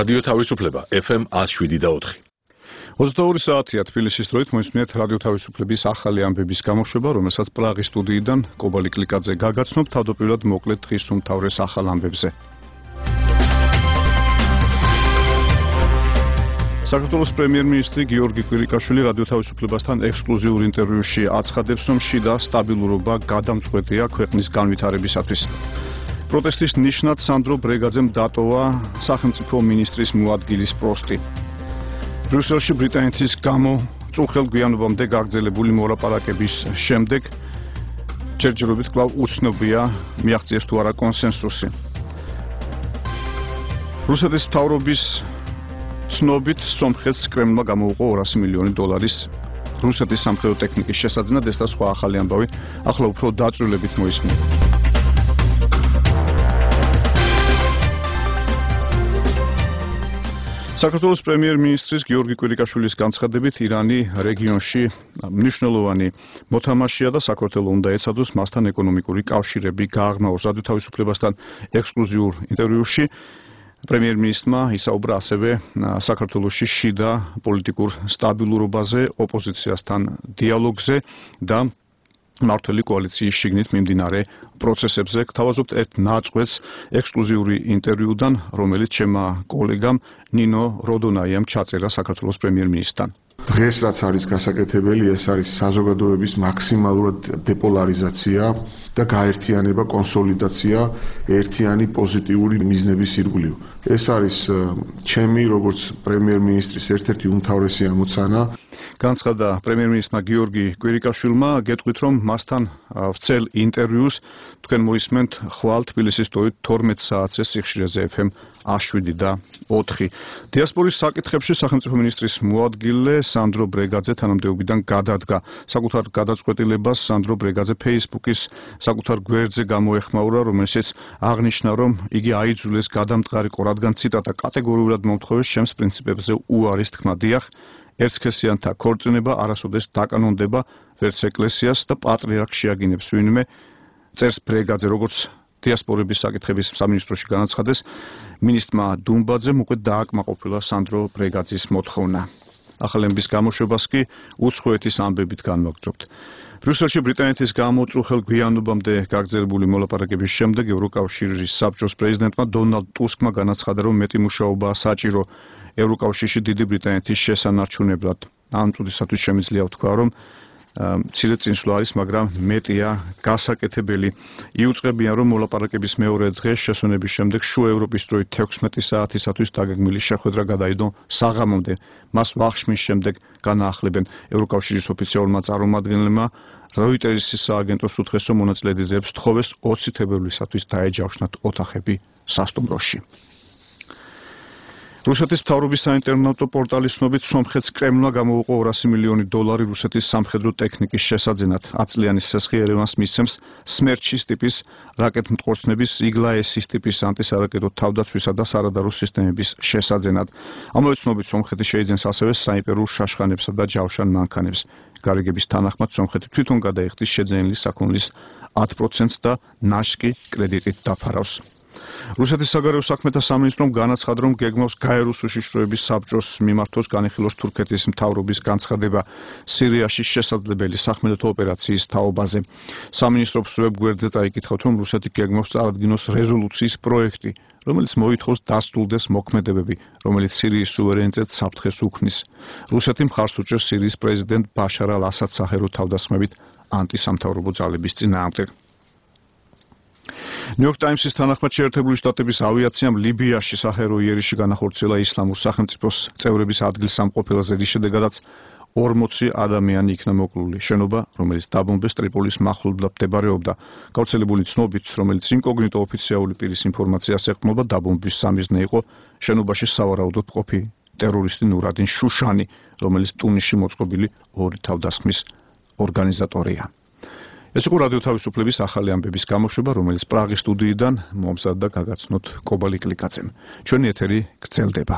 რადიო თავისუფლება FM 107.4. 22 საათია თბილისის დროით მოისმინეთ რადიო თავისუფლების ახალი ამბების გამოშვება, რომელსაც პრაღის სტუდიიდან კობალი კლიკაძე გაგაცნობ თავდაპირველად მოკლედ დღის უმთავრეს ახალ ამბებზე. საქართველოს პრემიერ-მინისტრი გიორგი კვირიკაშვილი რადიო თავისუფლებასთან ექსკლუზიურ ინტერვიუში აცხადებს, რომ შიდა სტაბილურობა გადამწყვეტია ქვეყნის განვითარებისათვის. პროტესტის ნიშნად სანდრო ბრეგაძემ დატოვა სახელმწიფო მინისტრის მოადგილის პოსტი. ბრიუსელში ბრიტანეთის გამო წუხელ გვიანობამდე გაგრძელებული მოლაპარაკების შემდეგ ჯერჯერობით კვლავ უცნობია მიაღწიეს თუ არა კონსენსუსი. რუსეთის მთავრობის ცნობით სომხეთს კრემლმა გამოუყო 200 მილიონი დოლარის რუსეთის სამხედრო ტექნიკის შესაძენად, ეს და სხვა ახალი ამბავი ახლა უფრო დაწვრილებით მოისმინეთ. საქართველოს პრემიერ-მინისტრის გიორგი კვირიკაშვილის განცხადებით, ირანი რეგიონში მნიშვნელოვანი მოთამაშეა და საქართველო უნდა ეცადოს მასთან ეკონომიკური კავშირები გააღრმაოს. რადიო თავისუფლებასთან ექსკლუზიურ ინტერვიუში პრემიერ-მინისტრმა ისაუბრა ასევე საქართველოში შიდა პოლიტიკურ სტაბილურობაზე, ოპოზიციასთან დიალოგზე და მმართველი კოალიციის შიგნით მიმდინარე პროცესებზე. გთავაზობთ ერთ ნაწყვეტს ექსკლუზიური ინტერვიუდან, რომელიც ჩემმა კოლეგამ ნინო როდონაიამ ჩაწერა საქართველოს პრემიერ-მინისტრთან. დღეს რაც არის გასაკეთებელი, ეს არის საზოგადოების მაქსიმალურად დეპოლარიზაცია და გაერთიანება, კონსოლიდაცია ერთიანი პოზიტიური მიზნების ირგვლივ. ეს არის ჩემი როგორც პრემიერ-მინისტრის ერთ-ერთი უმთავრესი ამოცანა. განცხადა პრემიერ-მინისტრმა გიორგი კვირიკაშვილმა, გეტყვით, რომ მასთან ვრცელ ინტერვიუს თქვენ მოისმენთ ხვალ თბილისის დროით 12 საათზე სიხშირეზე FM 107.4. დიასპორის საკითხებში სახელმწიფო მინისტრის მოადგილე სანდრო ბრეგაძე თანამდებობიდან გადადგა. საკუთარ გადაწყვეტილებას სანდრო ბრეგაძე Facebook-ის საკუთარ გვერდზე გამოეხმაურა, რომელშიც აღნიშნა, რომ იგი აიძულეს გადამტყარიყო, რადგან ციტატა კატეგორიულად მომთხოვეს ჩემს პრინციპებზე უარის თქმა. დიახ, ერთსქესიანთა ქორწინება არასოდეს დაკანონდება ვერც ეკლესიას და პატრიარქს შეაგინებს ვინმე, წერს ბრეგაძე, როგორც დიასპორების საკითხების სამინისტროში განაცხადეს, მინისტრმა დუმბაძემ უკვე დააკმაყოფილა სანდრო ბრეგაძის მოთხოვნა. ახალების გამოშვებას კი უცხოეთის ამბებით განვაგრძობთ. ბრიუსელში ბრიტანეთის გამო წუხელ გვიანობამდე გაგრძელებული მოლაპარაკების შემდეგ ევროკავშირის საბჭოს პრეზიდენტმა დონალდ ტუსკმა განაცხადა, რომ მეტი მუშაობაა საჭირო ევროკავშირში დიდი ბრიტანეთის შესანარჩუნებლად. ამ წუთისათვის შემიძლია ვთქვა, რომ მცირე წინსვლა არის, მაგრამ მეტია გასაკეთებელი. იუწყებიან, რომ მოლაპარაკების მეორე დღეს შესვენების შემდეგ შუა ევროპის დროით 16 საათისათვის დაგეგმილი შეხვედრა გადაიდო საღამომდე. მას ვახშმის შემდეგ განაახლებენ. ევროკავშირის ოფიციალურმა წარმომადგენლებმა როიტერის სააგენტოს უთხრეს, რომ მონაწილეთა ძეებს თხოვეს 20 თებერვლისათვის დაეჯავშნათ ოთახები სასტუმროში. რუსეთის მთავრობის საინტერნეტო პორტალის ცნობით სომხეთს კრემლმა გამოუყო 200 მილიონი დოლარი რუსეთის სამხედრო ტექნიკის შესაძენად. 10 წლიანი სესხი ერევანს მისცემს სმერჩის ტიპის რაკეტმტყორცნების იგლაესის ტიპის ანტისარაკეტო თავდაცვისა და სარადარო სისტემების შესაძენად. ამავე ცნობით სომხეთი შეიძენს ასევე საიმპერიურ შაშხანებსა და ჯავშან მანქანებს. გარიგების თანახმად სომხეთი თვითონ გადაიხდის შეძენილი საქონლის 10% და ნაშკი კრედიტით დაფარავს. რუსეთის საგარეო საქმეთა სამინისტრომ განაცხადა, რომ გეგმავს გაეროს უშიშროების საბჭოს მიმართოს განიხილოს თურქეთის მთავრობის განცხადება სირიაში შესაძლებელი სახმელეთო ოპერაციის თაობაზე. სამინისტროს ვებგვერდზე წაიკითხავთ, რომ რუსეთი გეგმავს წარადგინოს რეზოლუციის პროექტი, რომელიც მოითხოვს დასრულდეს მოქმედებები, რომელიც სირიის სუვერენიტეტს საფრთხეს უქმნის. რუსეთი მხარს უჭერს სირიის პრეზიდენტ ბაშარ ალ-ასადს სახელო თავდასხმებით ანტისამთავრობო ძალების წინააღმდეგ. ნიუ-იორკ ტაიმსის თანახმად შეერთებული შტატების ავიაციამ ლიბიაში საჰერო იერიში განახორციელა ისლამურ სახელმწიფოს წევრების ადგილსამყოფელზე, რის შედეგადაც 40 ადამიანი იქნა მოკლული. შენობა, რომელიც დაბომბეს ტრიპოლის მახლობლად მდებარეობდა. გავრცელებული ცნობით, რომელიც ინკოგნიტო ოფიციალური პირის ინფორმაციას ეყრდნობა, დაბომბვის სამიზნე იყო შენობაში სავარაუდოდ მყოფი ტერორისტი ნურადინ შუშანი, რომელიც ტუნისში მოწყობილი ორი თავდასხმის ორგანიზატორია. ეს იყო რადიო თავისუფლების ახალი ამბების გამოშვება, რომელიც პრაღის სტუდიიდან მომზადდა გაგაცნოთ კობალი კლიკაძემ. ჩვენი ეთერი გრძელდება.